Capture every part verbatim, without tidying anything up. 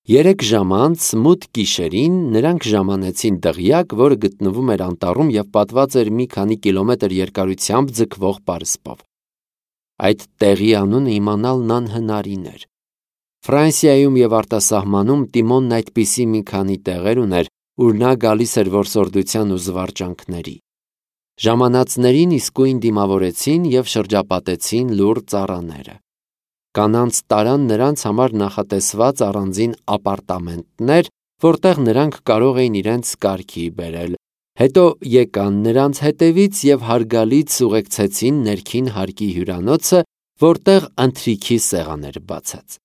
Երեք ժամ անց մութ գիշերին նրանք ժամանեցին դղյակ, որը գտնվում էր անտառում և պատված էր մի քանի կիլոմետր երկարությամբ ձգվող պարսպով։ Այդ տեղի անունը իմանալն անհնարին էր։ Ֆրանսիայում և արտասահմանում Տիմոնն այդպիսի մի քանի տեղեր ուներ, ուր նա գալիս էր որսորդության ու զվարճանքների։ Ժամանածներին իսկույն դիմավորեցին և շրջապատեցին լուռ ծառաները։ Կանանց տարան նրանց համար նախատեսված առանձին ապարտամենտներ, որտեղ նրանք կարող էին իրենց կարգի բերել, հետո եկան նրանց հետևից և հարգալից ուղեկցեցին ներքին հարկի հյուրանոցը, որտեղ ընթրիքի սեղան էր բացած։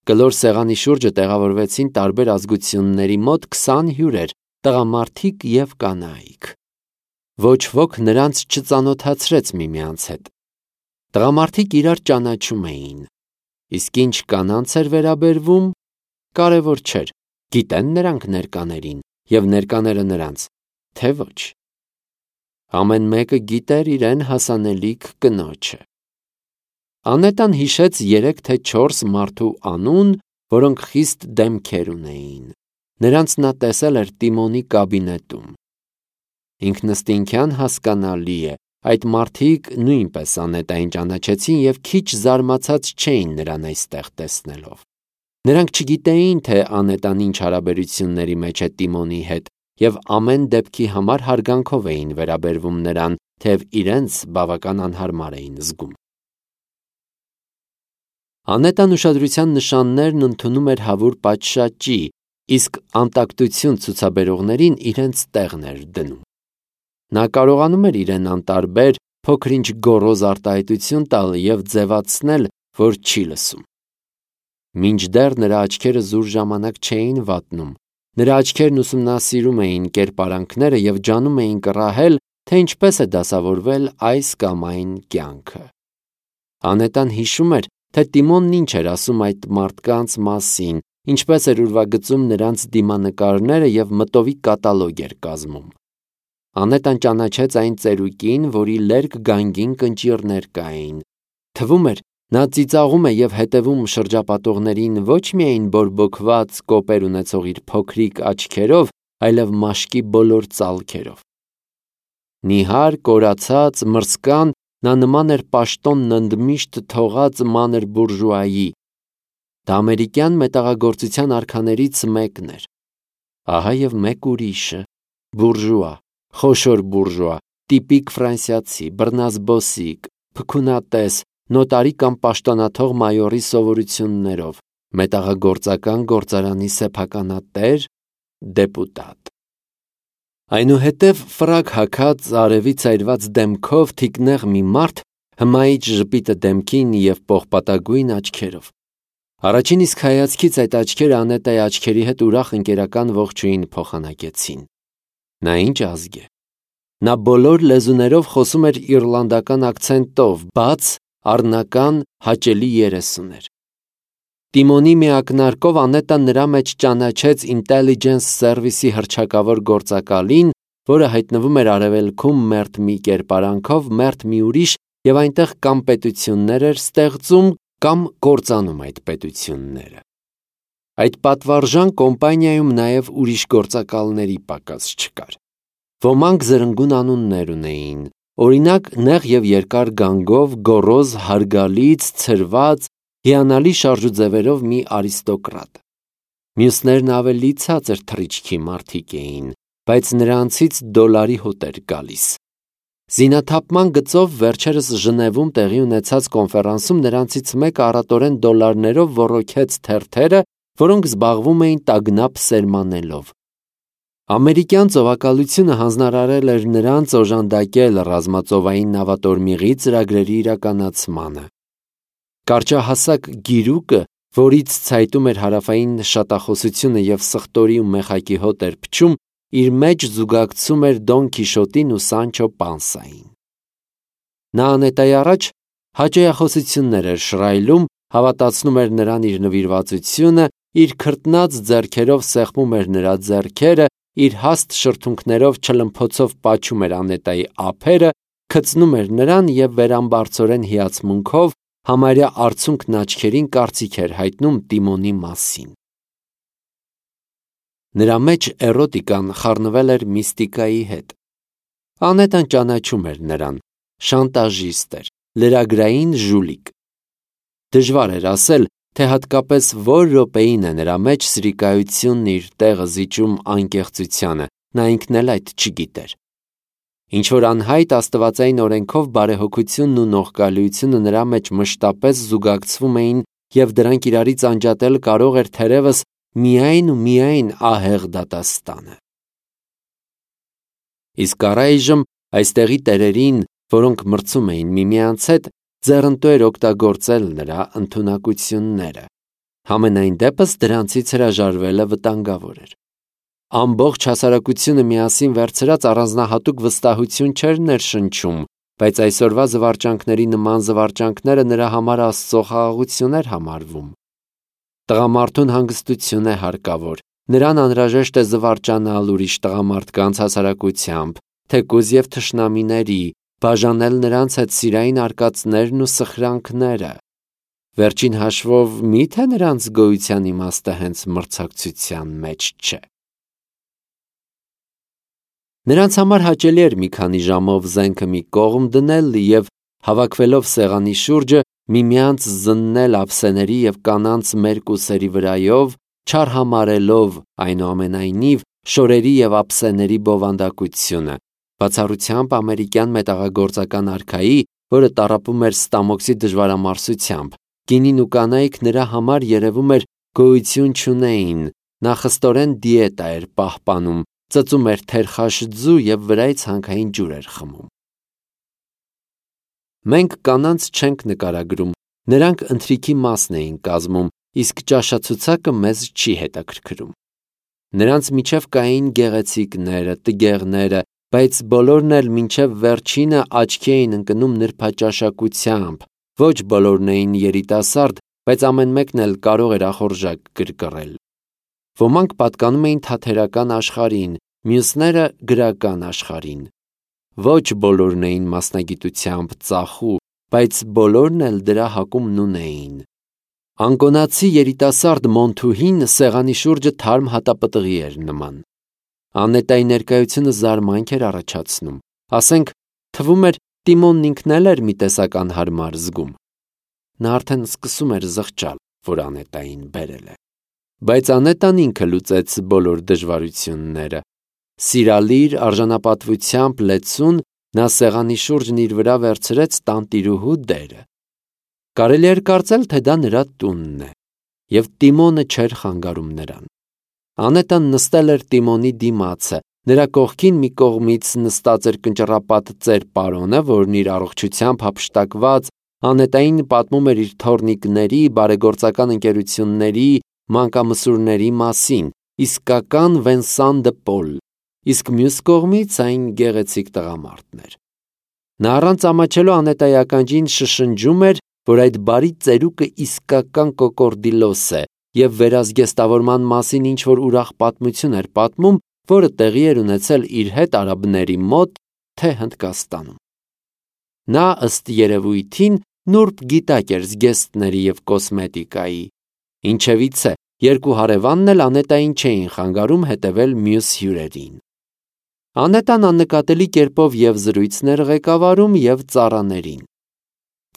Կլոր սեղանի շուրջը տեղավորվեցին տարբեր ազգությունների մոտ քսան հյուրեր, տղամարդիկ և կանայք։ Ոչ ոք նրանց չծանոթացրեց միմյանց հետ։ Տղամարդիկ իրար ճանաչում էին, իսկ ինչ կանանց էր վերաբերվում, կարևոր չէր, գիտեն նրանք ներկաներին և ներկաները նրանց, թե ոչ։ Ամեն մեկը գիտեր իրեն հասանելիք կնոջը։ Անետան հիշեց երեք թե չորս մարդու անուն, որոնք խիստ դեմքեր ունեին։ Նրանց նա տեսել էր Տիմոնի կաբինետում։ Ինքնըստինքյան հասկանալի է, այդ մարդիկ նույնպես Անետային ճանաչեցին և քիչ զարմացած չէին նրան այստեղ տեսնելով։ Նրանք չգիտեին, թե Անետան ինչ հարաբերությունների մեջ է Տիմոնի հետ և ամեն դեպքի համար հարգանքով էին վերաբերվում նրան, թեև իրենց բավական անհարմար էին զգում։ Անետան ուշադրության նշաններն ընդունում էր հավուր պատշաճի, իսկ անտակտություն ցուցաբերողներին իրենց տեղն էր դնում։ Նա կարողանում էր իրեն անտարբեր, փոքր-ինչ գոռոզ արտահայտություն տալ և ձևացնել, որ չի լսում։ Մինչդեռ նրա աչքերը զուր ժամանակ չէին վատնում, նրա աչքերն ուսումնասիրում էին կերպարանքները և ջանում էին կռահել, թե ինչպես է դասավորվել այս կամ այն կյանքը։ Անետան հիշում էր, թե Տիմոնն ինչ էր ասում այդ մարդկանց մասին, ինչպես էր ուրվագծում նրանց դիմանկարները և մտովի կատալոգ էր կազմում։ Անետան ճանաչեց այն ծերուկին, որի լերկ գանգին կնճիռներ կային։ Թվում էր, նա ծիծաղում է և հետևում շրջապատողներին ոչ միայն բորբոքված կոպեր ունեցող իր փոքրիկ աչքերով, այլև մաշկի բոլոր ծալքերով։ Նիհար, կորացած, մրսկան, նա նման էր պաշտոնն ընդմիշտ թողած մանր բուրժուայի։ Դա ամերիկյան մետաղագործության արքաներից մեկն էր։ Ահա և մեկ ուրիշը՝ բուրժուա, խոշոր բուրժուա, տիպիկ ֆրանսիացի, բռնազբոսիկ, փքունատես, նոտարի կամ պաշտոնաթող մայորի սովորություններով, մետաղագործական գործարանի սեփականատեր, դեպուտատ։ Այնուհետև ֆրակ հագած, արևի ցայրված դեմքով թիկնեղ մի մարդ, հմայիչ ժպիտը դեմքին և պողպատագույն աչքերով։ Առաջին իսկ հայացքից այդ աչքերը Անետայի աչքերի հետ ուրախ ընկերական ողջույն փոխանակեցին։ Նա ինչ ազգ է։ Նա բոլոր լեզուներով խոսում էր իռլանդական ակցենտով, բաց, առնական, հաճելի երես ուներ։ Տիմոնի մի ակնարկով Անետան նրա մեջ ճանաչեց Intelligence Service-ի հռչակավոր գործակալին, որը հայտնվում էր արևելքում մերթ մի կերպարանքով, մերթ մի ուրիշ և այնտեղ կամ պետություններ էր ստեղծում, կամ կործանում այդ պետությունները։ Այդ պատվարժան կոմպանիայում նաև ուրիշ գործակալների պակաս չկար։ Ոմանք զրնգուն անուններ ունեին, օրինակ նեղ և երկար գանգով, գոռոզ, հարգալից, ցրված, հիանալի շարժուձևերով մի արիստոկրատ։ Մյուսներն ավելի ցածր թռիչքի մարդիկ էին, բայց նրանցից դոլարի հոտ էր գալիս։ Զինաթափման գծով վերջերս Ժնևում տեղի ունեցած կոնֆերանսում նրանցից մեկը առատորեն դոլարներով ոռոգեց թերթերը, որոնք զբաղվում էին տագնապ սերմանելով։ Ամերիկյան ծովակալությունը հանձնարարել էր նրանց օժանդակել ռազմածովային նավատորմիղի ծրագրերի իրականացմանը։ Կարճահասակ գիրուկը, որից ցայտում էր հարավային շատախոսությունը և սխտորի ու մեխակի հոտ էր փչում, իր մեջ զուգակցում էր Դոն Քիշոտին ու Սանչո Պանսային։ Նա Անետայի առաջ հաճոյախոսություններ էր շռայլում, հավատացնում էր նրան իր նվիրվածությունը, իր քրտնած ձեռքերով սեղմում էր նրա ձեռքերը, իր հաստ շրթունքներով չլմփոցով պաչում էր Անետայի ափերը, քծնում էր նրան և վերամբարձորեն հիացմունքով, համարյա արցունքն աչքերին կարծիք էր հայտնում Տիմոնի մասին։ Նրա մեջ էրոտիկան խառնվել էր միստիկայի հետ։ Անետան ճանաչում էր նրան, շանտաժիստ էր, լրագրային ժուլիկ։ Դժվար էր ասել, թե հատկապես որ րոպեին է նրա մեջ սրիկայությունն իր տեղը զիջում անկեղծությանը, նա ինքն էլ այդ չգիտեր։ Ինչ-որ անհայտ աստվածային օրենքով բարեհոգությունն ու նողկալիությունը նրա մեջ մշտապես զուգակցվում էին և դրանք իրարից անջատել կարող էր թերևս միայն ու միայն ահեղ դատաստանը։ Իսկ առայժմ այստեղի տերերին, որոնք մրցում էին միմյանց հետ, ձեռնտու էր օգտագործել նրա ընդունակությունները։ Համենայն դեպս դրանցից հրաժարվելը վտանգավոր էր։ Ամբողջ հասարակությունը միասին վերցրած առանձնահատուկ վստահություն չէր ներշնչում, բայց այսօրվա զվարճանքների նման զվարճանքները նրա համար Աստծո խաղաղություն էր համարվում։ Տղամարդուն հանգստություն է հարկավոր, նրան անհրաժեշտ է զվարճանալ ուրիշ տղամարդկանց հասարակությամբ, թեկուզ և թշնամիների, բաժանել նրանց հետ սիրային արկածներն ու սխրանքները։ Վերջին հաշվով, մի՞թե նրանց գոյության իմաստը հենց մրցակցության մեջ չէ։ Նրանց համար հաճելի էր մի քանի ժամով զենքը մի կողմ դնել և, հավաքվելով սեղանի շուրջը, միմյանց զննել ափսեների և կանանց մերկ ուսերի վրայով, չարհամարհելով, այնուամենայնիվ, շորերի և ափսեների բովանդակությունը, բացառությամբ ամերիկյան մետաղագործական արքայի, որը տառապում էր ստամոքսի դժվարամարսությամբ, կինին ու կանայք նրա համար երևում էր գոյություն չունեին, նա խստորեն դիետա էր պահպանում, ծծում էր թերխաշձու և վրայից հանքային ջուր էր խմում։ Մենք կանանց չենք նկարագրում, նրանք ընթրիքի մասն էին կազմում, իսկ ճաշացուցակը մեզ չի հետաքրքրում։ Նրանց միջև կային գեղեցիկները, տգեղները, բայց բոլորն էլ մինչև վերջինը աչքի էին ընկնում նրբաճաշակությամբ, ոչ բոլորն էին երիտասարդ, բայց ամեն մեկն էլ կարող էր ախորժակ գրգռել։ Ոմանք պատկանում էին թատերական աշխարհին, մյուսները գրական աշխարհին։ Ոչ բոլորն էին մասնագիտությամբ ծախու, բայց բոլորն էլ դրա հակումն ունեին։ Անկոնացի երիտասարդ Մոնթուհին սեղանի շուրջը թարմ հատապտղի էր նման։ Անետայի ներկայությունը զարմանք էր առաջացնում, ասենք, թվում էր Տիմոնն ինքն էլ էր մի տեսակ անհարմար զգում։ Նա արդեն սկսում էր զղջալ, որ Անետային բերել է։ Բայց Անետան ինքը լուծեց բոլոր դժվարությունները։ Սիրալիր արժանապատվությամբ լեցուն, նա սեղանի շուրջն իր վրա վերցրեց տանտիրուհու դերը։ Կարելի էր կարծել, թե դա նրա տունն է, և Տիմոնը չէր խանգարում նրան։ Անետան նստել էր Տիմոնի դիմացը, նրա կողքին մի կողմից նստած էր կնճռապատ ծեր պարոնը, որն իր առողջությամբ հափշտակված Անետային պատմում էր իր թոռնիկների, բարեգործական ընկերությունների, մանկամսուրների մասին, իսկական Վենսան դը Պոլ, իսկ մյուս կողմից այն գեղեցիկ տղամարդն էր։ Նա առանց ամաչելու Անետայի ականջին շշնջում էր, որ այդ բարի ծերուկը իսկական կոկորդիլոս է և վերազգեստավորման մասին ինչ-որ ուրախ պատմություն էր պատմում, որը տեղի էր ունեցել իր հետ արաբների մոտ, թե Հնդկաստանում։ Նա, ըստ երևույթին, նուրբ գիտակ էր զգեստների և կոսմետիկայի։ Ինչևիցե, երկու հարևանն էլ Անետային չէին խանգարում հետևել մյուս հյուրերին։ Անետան աննկատելի կերպով և զրույցներ ղեկավարում և ծառաներին։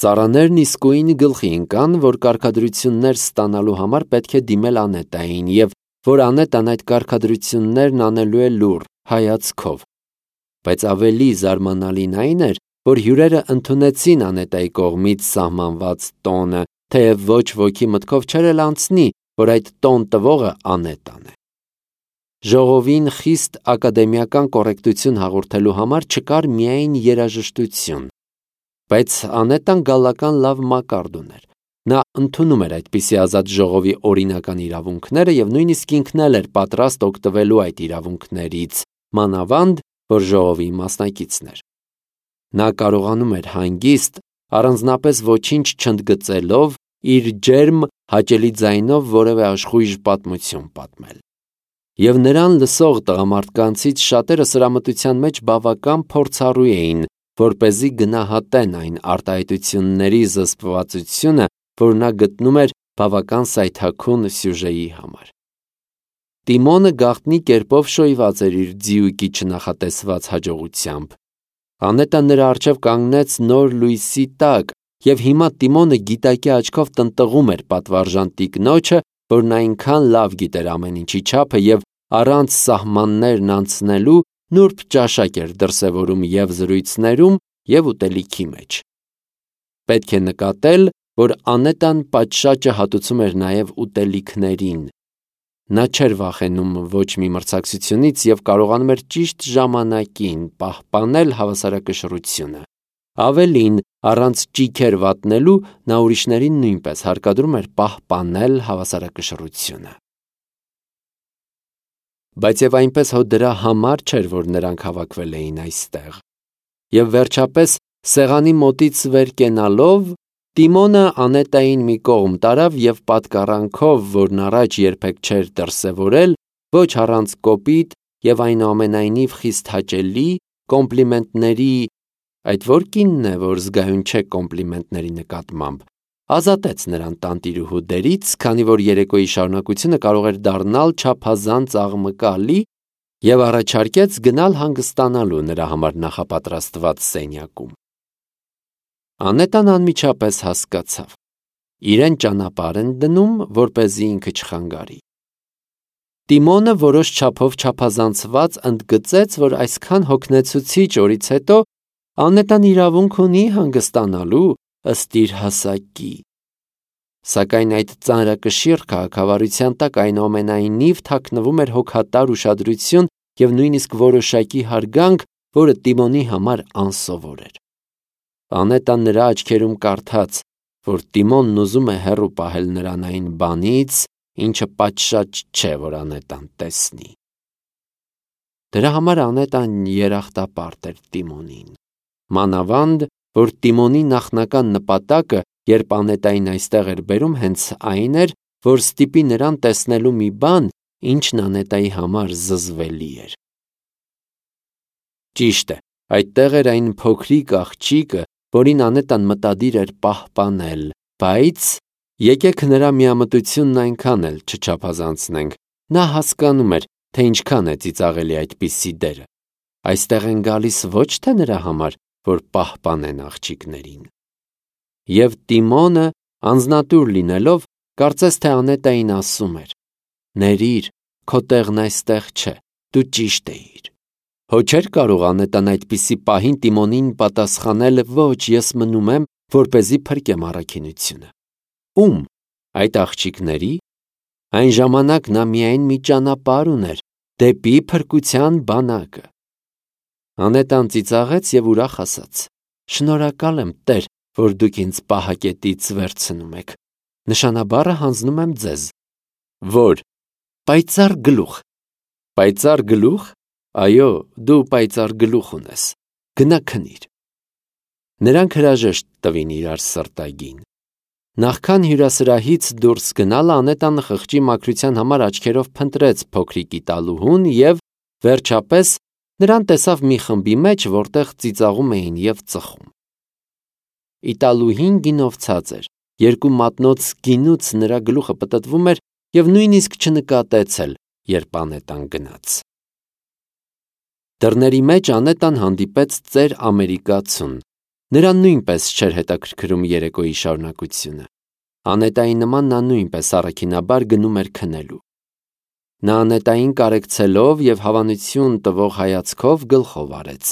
Ծառաներն իսկույն գլխի ընկան, որ կարգադրություններ ստանալու համար պետք է դիմել Անետային և որ Անետան այդ կարգադրություններն անելու է լուռ, հայացքով։ Բայց ավելի զարմանալին այն էր, որ հյուրերը ընդունեցին Անետայի կողմից սահմանված տոնը, թեև ոչ ոքի մտքով չէր էլ անցնի, որ այդ տոն տվողը Անետան է։ Ժողովին խիստ ակադեմիական կոռեկտություն հաղորդելու համար չկար միայն երաժշտություն, բայց Անետան գալական լավ մակարդ ուներ։ Նա ընդունում էր այդպիսի ազատ ժողովի օրինական իրավունքները և նույնիսկ ինքն էլ էր պատրաստ օգտվելու այդ իրավունքներից, մանավանդ, որ ժողովի մասնակիցն էր։ Նա կարողանում էր հանգիստ, առանձնապես ոչինչ չընդգծելով, իր ջերմ, հաճելի ձայնով որևէ աշխույժ պատմություն պատմել։ Եվ նրան լսող տղամարդկանցից շատերը սրամտության մեջ բավական փորձառու էին, որպեսզի գնահատեն այն արտահայտությունների զսպվածությունը, որ նա գտնում էր բավական սայթաքուն սյուժեի համար։ Տիմոնը գաղտնի կերպով շոյված էր իր ձիուկի չնախատեսված հաջողությամբ։ Անետան նրա առջև կանգնեց նոր լույսի տակ, և հիմա Տիմոնը գիտակի աչքով տնտղում էր պատվարժան տիկնոջը, որն այնքան լավ գիտեր ամեն ինչի չափը և առանց սահմաններն անցնելու նուրբ ճաշակ էր դրսևորում և զրույցներում, և ուտելիքի մեջ։ Պետք է նկատել, որ Անետան պատշաճը հատուցում էր նաև ուտելիքներին։ Նա չէր վախենում ոչ մի մրցակցությունից և կարողանում էր ճիշտ ժամանակին պահպանել հավասարակշռությունը։ Ավելին, առանց ճիգեր վատնելու, նա ուրիշներին նույնպես հարկադրում էր պահպանել հավասարակշռությունը։ Բայց և այնպես հո դրա համար չէր, որ նրանք հավաքվել էին այստեղ։ Եվ վերջապես, սեղանի մոտից վեր կենալով, Տիմոնը Անետային մի կողմ տարավ և պատկառանքով, որն առաջ երբեք չէր դրսևորել, ոչ առանց կոպիտ և այնուամենայնիվ խիստ հաճելի կոմպլիմենտների (այդ ո՞ր կինն է, որ զգայուն չէ կոմպլիմենտների նկատմամբ) ազատեց նրան տանտիրուհու դերից, քանի որ երեկոյի շարունակությունը կարող էր դառնալ չափազանց աղմկալի, և առաջարկեց գնալ հանգստանալու նրա համար նախապատրաստված սենյակում։ Անետան անմիջապես հասկացավ. իրեն ճանապարհ են դնում, որպեսզի ինքը չխանգարի։ Տիմոնը որոշ չափով չափազանցված ընդգծեց, որ այսքան հոգնեցուցիչ օրից հետո Անետան իրավունք ունի հանգստանալու ըստ իր հասակի։ Սակայն այդ ծանրակշիռ քաղաքավարության տակ այնուամենայնիվ թաքնվում էր հոգատար ուշադրություն և նույնիսկ որոշակի հարգանք, որը Տիմոնի համար անսովոր էր։ Անետան նրա աչքերում կարդաց, որ Տիմոնն ուզում է հեռու պահել նրան այն բանից, ինչը պատշաճ չէ, որ Անետան տեսնի։ Դրա համար Անետան երախտապարտ էր Տիմոնին։ Մանավանդ, որ Տիմոնի նախնական նպատակը, երբ Անետային այստեղ էր բերում, հենց այն էր, որ ստիպի նրան տեսնելու մի բան, ինչն Անետայի համար զզվելի էր։ Ճիշտ է, այդտեղ էր այն փոքրիկ աղջիկը, որին Անետան մտադիր էր պահպանել, բայց եկեք նրա միամտությունն այնքան էլ չչափազանցնենք։ Նա հասկանում էր, թե ինչքան է ծիծաղելի այդպիսի դերը։ Այստեղ են գալիս ոչ թե նրա համար, որ պահպանեն աղջիկներին։ Եվ Տիմոնը, անձնատուր լինելով, կարծես թե Անետային ասում էր. «Ներիր, քո տեղն այստեղ չէ, դու ճիշտ էիր»։ Հո չէր կարող Անետան այդպիսի պահին Տիմոնին պատասխանել. «Ոչ, ես մնում եմ, որպեսզի փրկեմ առաքինությունը»։ Ո՞ւմ։ Այդ աղջիկների՞։ Այն ժամանակ նա միայն մի ճանապարհ ուներ՝ դեպի փրկության բանակը։ Անետան ծիծաղեց և ուրախ ասաց. «Շնորհակալ եմ, Տեր, որ դուք ինձ պահակետից վերցնում եք։ Նշանաբառը հանձնում եմ ձեզ»։ Ո՞ր։ Պայծառ գլուխ։ Պայծառ գլուխ։ Այո, դու պայծառ գլուխ ունես։ Գնա քնիր։ Նրանք հրաժեշտ տվին իրար սրտագին։ Նախքան հյուրասրահից դուրս գնալ, Անետան խղճի մաքրության համար աչքերով փնտրեց փոքրիկ իտալուհուն և, վերջապես, նրան տեսավ մի խմբի մեջ, որտեղ ծիծաղում էին և ծխում։ Իտալուհին գինովցած էր, երկու մատնոց գինուց նրա գլուխը պտտվում էր և նույնիսկ չնկատեց էլ, երբ Անետան գնաց։ Դռների մեջ Անետան հանդիպեց ծեր ամերիկացուն։ Նրան նույնպես չէր հետաքրքրում երեկոյի շարունակությունը։ Անետայի նման նա նույնպես առաքինաբար գնում էր քնելու։ Նա Անետային կարեկցելով և հավանություն տվող հայացքով գլխով արեց։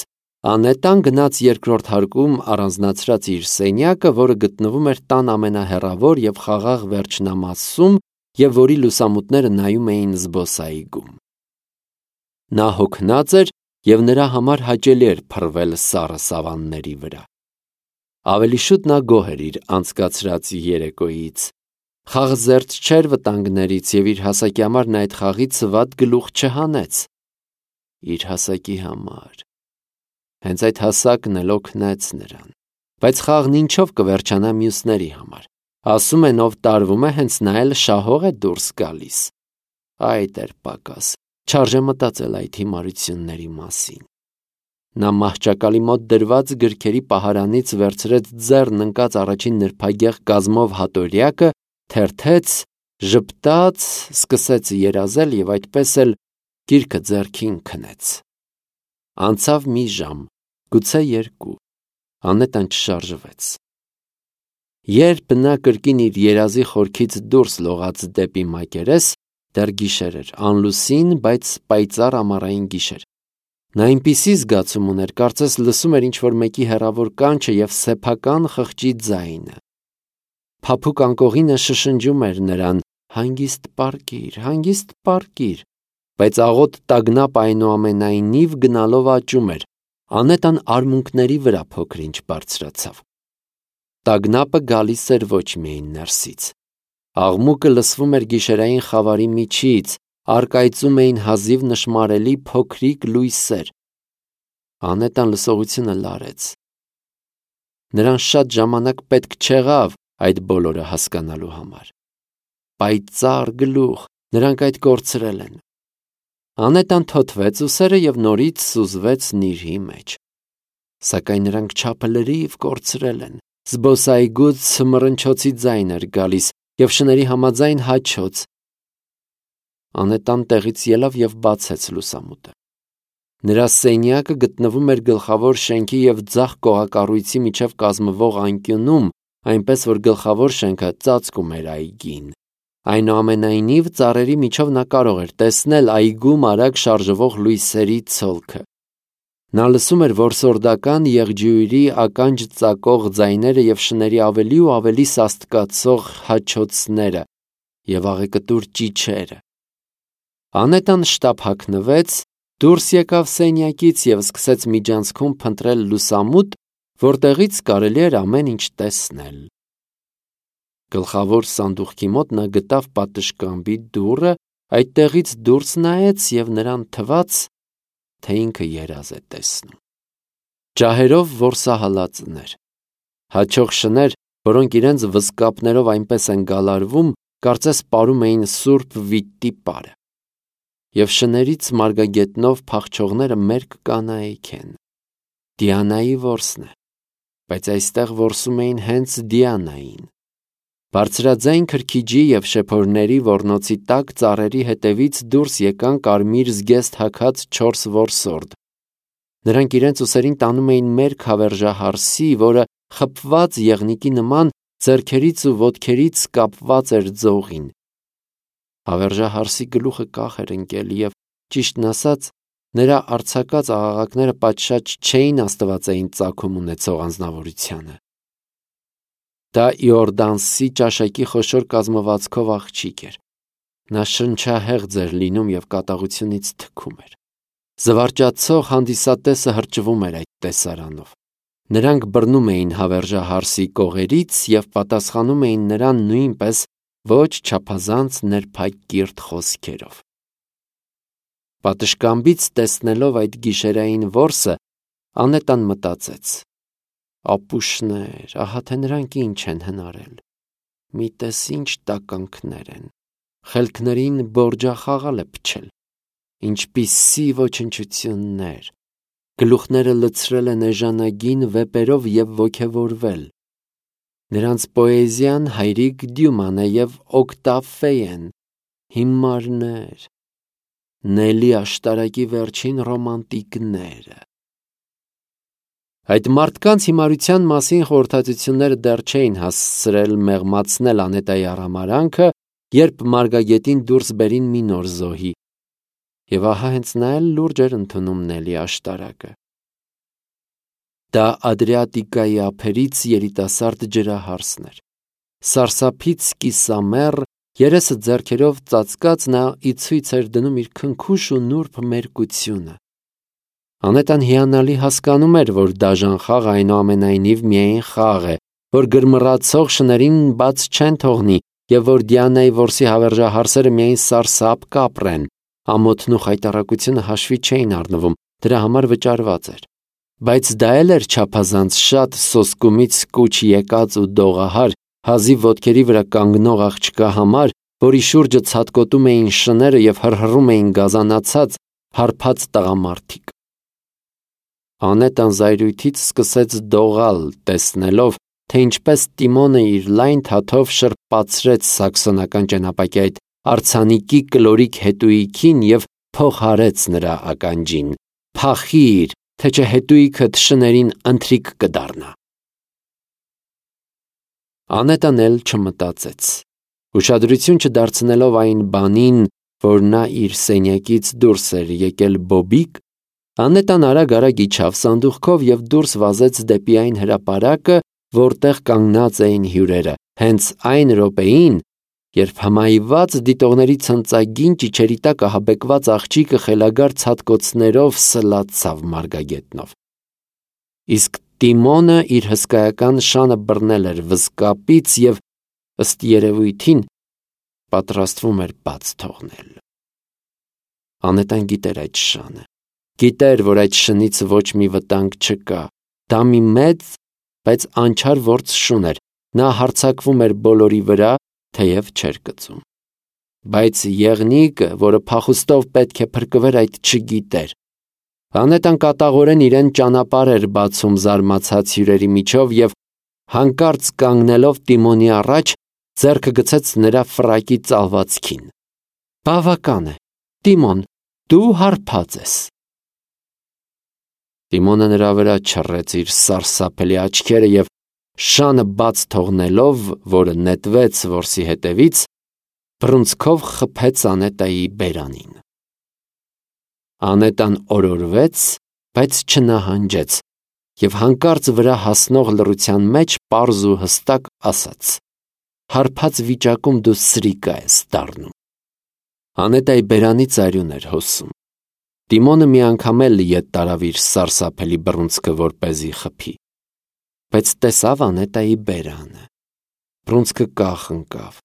Անետան գնաց երկրորդ հարկում առանձնացրած իր սենյակը, որը գտնվում էր տան ամենահեռավոր և խաղաղ վերջնամասում և որի լուսամուտները նայում էին զբոսայգում։ Նա հոգնած էր և նրա համար հաճելի էր փռվել սառը սավանների վրա։ Ավելի շուտ նա գոհ էր իր անցկացրած երեկոյից։ Խաղզերծ չէր վտանգներից և իր հասակի համար նա այդ խաղից վատ գլուխ չհանեց։ Իր հասակի համար։ Հենց այդ հասակն էլ օգնեց նրան։ Բայց խաղն ինչով կվերջանա մյուսների համար։ Ասում են, ով տարվում է, հենց նա էլ շահող է դուրս գալիս։ Այ դեռ պակաս, չարժե մտածել այդ հիմարությունների մասին։ Նա մահճակալի մոտ դրված գրքերի պահարանից վերցրեց ձեռն ընկած առաջին նրբագեղ կազմով հատորյակը, թերթեց Ժպտաց, սկսեց երազել և այդպես էլ գիրքը ձեռքին քնեց։ Անցավ մի ժամ, գուցե երկու, Անետան չշարժվեց։ Երբ նա կրկին իր երազի խորքից դուրս լողաց դեպի մակերես, դեռ գիշեր էր, անլուսին, բայց պայծառ ամառային գիշեր։ Նա այնպիսի զգացում ուներ, կարծես լսում էր ինչ-որ մեկի հեռավոր կանչը և սեփական խղճի ձայնը։ Փափուկ անկողինը շշնջում էր նրան. «Հանգիստ պառկիր, հանգիստ պառկիր», բայց աղոտ տագնապ այնուամենայնիվ գնալով աճում էր։ Անետան արմունկների վրա փոքր-ինչ բարձրացավ։ Տագնապը գալիս էր ոչ միայն ներսից։ Աղմուկը լսվում էր գիշերային խավարի միջից, առկայծում էին հազիվ նշմարելի փոքրիկ լույսեր։ Անետան լսողությունը լարեց։ Նրան շատ ժամանակ պետք չեղավ այդ բոլորը հասկանալու համար։ Պայծառ գլուխ, նրանք այդ կորցրել են։ Անետան թոթվեց ուսերը և նորից սուզվեց նիրհի մեջ։ Սակայն նրանք չափը լրիվ կորցրել են։ Զբոսայգուց մռնչոցի ձայն էր գալիս և շների համաձայն հաչոց։ Անետան տեղից ելավ և բացեց լուսամուտը։ Նրա սենյակը գտնվում էր գլխավոր շենքի և ձախ կողակառույցի միջև կազմվող անկյունում, այնպես որ գլխավոր շենքը ծածկում էր այգին։ Այնուամենայնիվ ծառերի միջով նա կարող էր տեսնել այգում արագ շարժվող լույսերի ցոլքը։ Նա լսում էր որսորդական եղջյուրի ականջ ծակող ձայները և շների ավելի ու ավելի սաստկացող հաչոցները և աղեկտուր ճիչերը։ Անետան շտապ հագնվեց, դուրս եկավ սենյակից և սկսեց միջանցքում փնտրել լուսամուտ, որտեղից կարելի էր ամեն ինչ տեսնել։ Գլխավոր սանդուղքի մոտ նա գտավ պատշգամբի դուռը, այդտեղից դուրս նայեց և նրան թվաց, թե ինքը երազ է տեսնում։ Ջահերով որսահալածներ, հաչող շներ, որոնք իրենց վզկապներով այնպես են գալարվում, կարծես պարում էին սուրբ վիթտի պարը։ Եվ շներից մարգագետնով փախչողները մերկ կանայք են։ Դիանայի որսն է, բայց այստեղ որսում էին հենց Դիանային։ Բարձրաձայն քրքիջի և շեփորների ոռնոցի տակ ծառերի հետևից դուրս եկան կարմիր զգեստ հագած չորս որսորդ։ Նրանք իրենց ուսերին տանում էին մերկ հավերժահարսի, որը խփված եղնիկի նման ձեռքերից ու ոտքերից կապված էր ձողին։ Հավերժահարսի գլուխը կախ էր ընկել և, ճիշտն ասած, նրա արձակած աղաղակները պատշաճ չէին աստվածային ծագում ունեցող անձնավորությանը։ Դա Իորդանսի ճաշակի խոշոր կազմվածքով աղջիկ էր։ Նա շնչահեղձ էր լինում և կատաղությունից թքում էր։ Զվարճացող հանդիսատեսը հրճվում էր այդ տեսարանով։ Նրանք բռնում էին հավերժահարսի կողերից և պատասխանում էին նրան նույնպես ոչ չափազանց նրբակիրթ խոսքերով։ Պատշգամբից տեսնելով այդ գիշերային որսը, Անետան մտածեց. ապուշներ, ահա թե նրանք ինչ են հնարել։ Մի տես ինչ տականքներ են։ Խելքներին բորջախաղալ է փչել։ Ինչպիսի ոչնչություններ։ Գլուխները լցրել են էժանագին վեպերով և ոգևորվել։ Նրանց պոեզիան հայրիկ Դյուման է և Օկտավ հիմարներ, Նելի աշտարակի վերջին ռոմանտիկները։ Այդ մարդկանց հիմարության մասին խորհրդածությունները դեռ չէին հասցրել մեղմացնել Անետայի արհամարհանքը, երբ մարգագետին դուրս բերին մի նոր զոհի։ Եվ ահա հենց նա էլ լուրջ էր ընդունում Նելի աշտարակը։ Դա Ադրիատիկայի ափերից երիտասարդ ջրահարսն էր։ Սարսափից կիսամեռ, երեսը ձեռքերով ծածկած, նա ի ցույց էր դնում իր քնքուշ ու նուրբ մերկությունը։ Անետան հիանալի հասկանում էր, որ դաժան խաղը այնուամենայնիվ միայն խաղ է, որ գրմռացող շներին բաց չեն թողնի և որ Դիանայի որսի հավերժահարսերը միայն սարսափ կապրեն, ամոթն ու խայտառակությունը հաշվի չէին առնվում, դրա համար վճարված էր։ Բայց դա էլ էր չափազանց շատ սոսկումից կուչ եկած ու դողահար, հազիվ ոտքերի վրա կանգնող աղջկա համար, որի շուրջը ցատկոտում էին շները և հռհռում էին գազանացած, հարբած տղամարդիկ։ Անետան զայրույթից սկսեց դողալ, տեսնելով, թե ինչպես Տիմոնը իր լայն թաթով շրպացրեց սաքսոնական ճենապակի այդ արձանիկի կլորիկ հետույքին և փոխարեց նրա ականջին. «Փախիր, թե չէ հետույքդ շներին ընթրիք կդառնա»։ Անետան էլ չմտածեց։ Ուշադրություն չդարձնելով այն բանին, որ նա իր սենյակից դուրս էր եկել բոբիկ, Անետան արագ-արագ իջավ սանդուղքով և դուրս վազեց դեպի այն հրապարակը, որտեղ կանգնած էին հյուրերը, հենց այն րոպեին, երբ հմայված դիտողների ցնծագին ճիչերի տակ ահաբեկված աղջիկը խելագար ցատկոցներով սլացավ մարգագետնով։ Իսկ Տիմոնը իր հսկայական շանը բռնել էր վզկապից և, ըստ երևույթին, պատրաստվում էր բաց թողնել։ Անետան գիտեր այդ շանը, գիտեր, որ այդ շնից ոչ մի վտանգ չկա, դա մի մեծ, բայց անչար ործ շուն էր, նա հարձակվում էր բոլորի վրա, թեև չէր կծում։ Բայց եղնիկը, որը փախուստով պետք է փրկվեր, այդ չգիտեր։ Անետան կատաղորեն իրեն ճանապարհ էր բացում զարմացած հյուրերի միջով և հանկարծ կանգնելով Տիմոնի առաջ, ձեռքը գցեց նրա ֆրակի ծալվածքին։ Բավական է, Տիմոն, դու հարբած ես։ Տիմոնը նրա վրա չռեց իր սարսափելի աչքերը և շանը բաց թողնելով, որը նետվեց որսի հետևից, բռունցքով խփեց Անետայի բերանին։ Անետան օրորվեց, բայց չնահանջեց և հանկարծ վրա հասնող լռության մեջ պարզ ու հստակ ասաց. «Հարբած վիճակում դու սրիկա ես դառնում»։ Անետայի բերանից արյուն էր հոսում։ Տիմոնը մի անգամ էլ ետ տարավ իր սարսափելի բռունցքը, որպեսզի խփի, բայց տեսավ Անետայի բերանը։ Բռունցքը կախ ընկավ,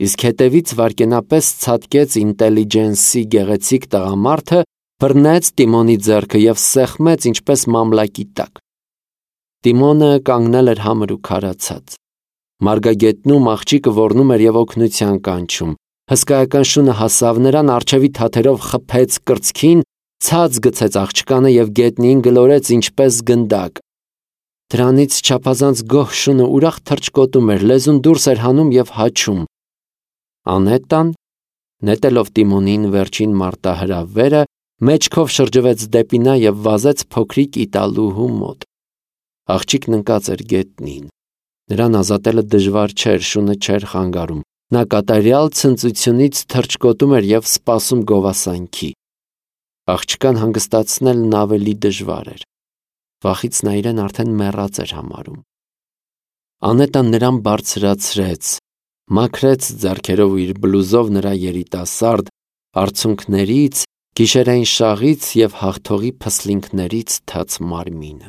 իսկ հետևից վայրկենապես ցատկեց ինտելիջենսի գեղեցիկ տղամարդը, բռնեց Տիմոնի ձեռքը և սեղմեց ինչպես մամլակի տակ։ Տիմոնը կանգնել էր համր ու քարացած։ Մարգագետնում աղջիկը ոռնում էր և օգնության կանչում։ Հսկայական շունը հասավ նրան, առջևի թաթերով խփեց կրծքին, ցած գցեց աղջկանը և գետնին գլորեց ինչպես գնդակ։ Դրանից չափազանց գոհ շունը ուրախ թռչկոտում էր, լեզուն դուրս էր հանում և հաչում։ Անետան, նետելով Տիմոնին վերջին մարտահրավերը, մեջքով շրջվեց դեպի նա և վազեց փոքրիկ իտալուհու մոտ։ Աղջիկն ընկած էր գետնին։ Նրան ազատելը դժվար չէր, շունը չէր խանգարում։ Նա կատարյալ ցնծությունից թռչկոտում էր և սպասում գովասանքի։ Աղջկան հանգստացնելն ավելի դժվար էր։ Վախից նա իրեն արդեն մեռած էր համարում։ Անետան նրան բարձրացրեց, մաքրեց ձեռքերով ու իր բլուզով նրա երիտասարդ արցունքներից, գիշերային շաղից և հաղթողի փսլինքներից թաց մարմինը։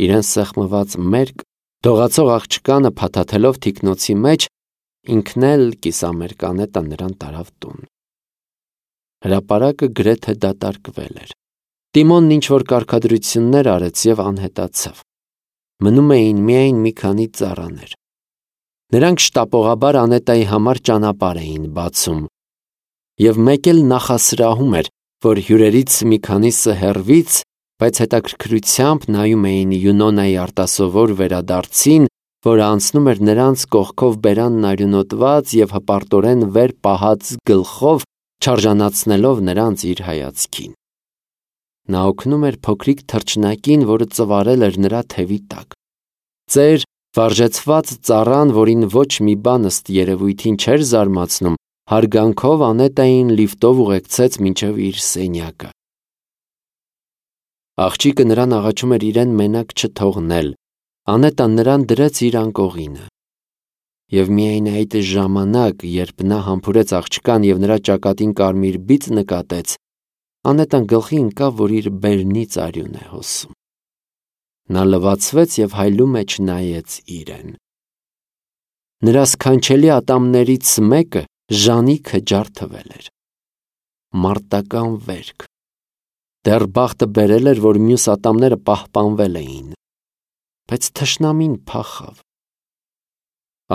Իրեն սեղմված մերկ, դողացող աղջկանը փաթաթելով թիկնոցի մեջ, ինքն էլ կիսամերկ Անետան նրան տարավ տուն։ Հրապարակը գրեթե դատարկվել էր։ Տիմոնն ինչ-որ կարգադրություններ արեց և անհետացավ։ Մնում էին միայն մի քանի ծառաներ։ Նրանք շտապողաբար Անետայի համար ճանապարհ էին բացում, և մեկ էլ նախասրահում էր, որ հյուրերից մի քանիսը հեռվից, բայց հետաքրքրությամբ նայում էին Յունոնայի արտասովոր վերադարձին, որը անցնում էր նրանց կողքով բերանն արյունոտված և հպարտորեն վեր պահած գլխով, չարժանացնելով նրանց իր հայացքին։ Նա օգնում էր փոքրիկ թռչնակին, որը ծվարել էր նրա թևի տակ։ Ծեր, վարժեցված ծառան, որին ոչ մի բան ըստ երևույթին չէր զարմացնում, հարգանքով Անետային լիֆտով ուղեկցեց մինչև իր սենյակը։ Աղջիկը նրան աղաչում էր իրեն մենակ չթողնել։ Անետան նրան դրեց իր անկողինը։ Եվ միայն այդ ժամանակ, երբ նա համբուրեց աղջկան և նրա ճակատին կարմիր բիծ նկատեց, Անետան գլխի ընկավ, որ իր բերնից արյուն է հոսում։ Նա լվացվեց և հայլու մեջ նայեց իրեն։ Նրա սքանչելի ատամներից մեկը ժանիքը ջարդվել էր։ Մարտական վերք։ Դեռ բախտը բերել էր, որ մյուս ատամները պահպանվել էին։ Բայց թշնամին փախավ։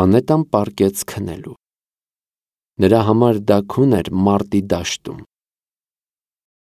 Անետան պառկեց քնելու։ Նրա համար դա քուն էր մարտի դաշտում։